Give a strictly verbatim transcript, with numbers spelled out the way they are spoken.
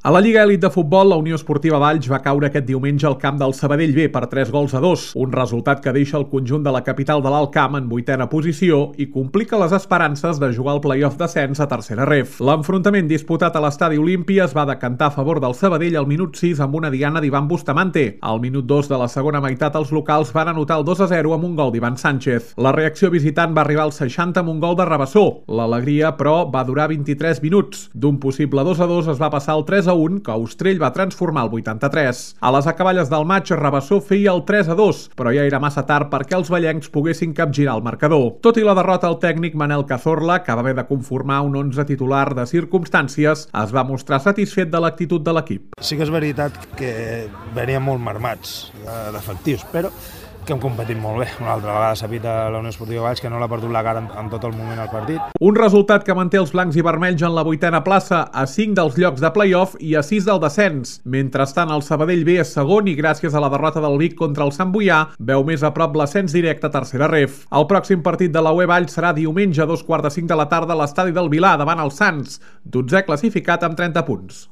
A la Lliga Elit de Futbol, la Unió Esportiva Valls va caure aquest diumenge al camp del Sabadell B per tres gols a dos, un resultat que deixa el conjunt de la capital de l'Alt Camp en vuitena posició i complica les esperances de jugar al play-off d'ascens a tercera ref. L'enfrontament disputat a l'Estadi Olímpia es va decantar a favor del Sabadell al minut sis amb una diana d'Ivan Bustamante. Al minut dos de la segona meitat els locals van anotar el dos a zero amb un gol d'Ivan Sánchez. La reacció visitant va arribar al seixanta amb un gol de Rabassó. L'alegria, però, va durar vint-i-tres minuts. D'un possible dos a dos es va passar al tres a un, que Austrell va transformar al vuitanta-tres. A les acaballes del maig, Rabassó feia el tres a dos, però ja era massa tard perquè els vallencs poguessin capgirar el marcador. Tot i la derrota, el tècnic Manel Cazorla, que va haver de conformar un onze titular de circumstàncies, es va mostrar satisfet de l'actitud de l'equip. Sí que és veritat que veníem molt marmats d'efectius, però que hem competit molt bé. Una altra vegada s'ha vist a la Unió Esportiva Valls que no l'ha perdut la cara en, en tot el moment al partit. Un resultat que manté els blancs i vermells en la vuitena plaça, a cinc dels llocs de play-off i a sis del descens. Mentrestant, el Sabadell B és segon i gràcies a la derrota del Vic contra el Sant Boià veu més a prop l'ascens directe a tercera ref. El pròxim partit de la U E Valls serà diumenge a dos quarts de cinc de la tarda a l'estadi del Vilar davant el Sants, dotzè classificat amb trenta punts.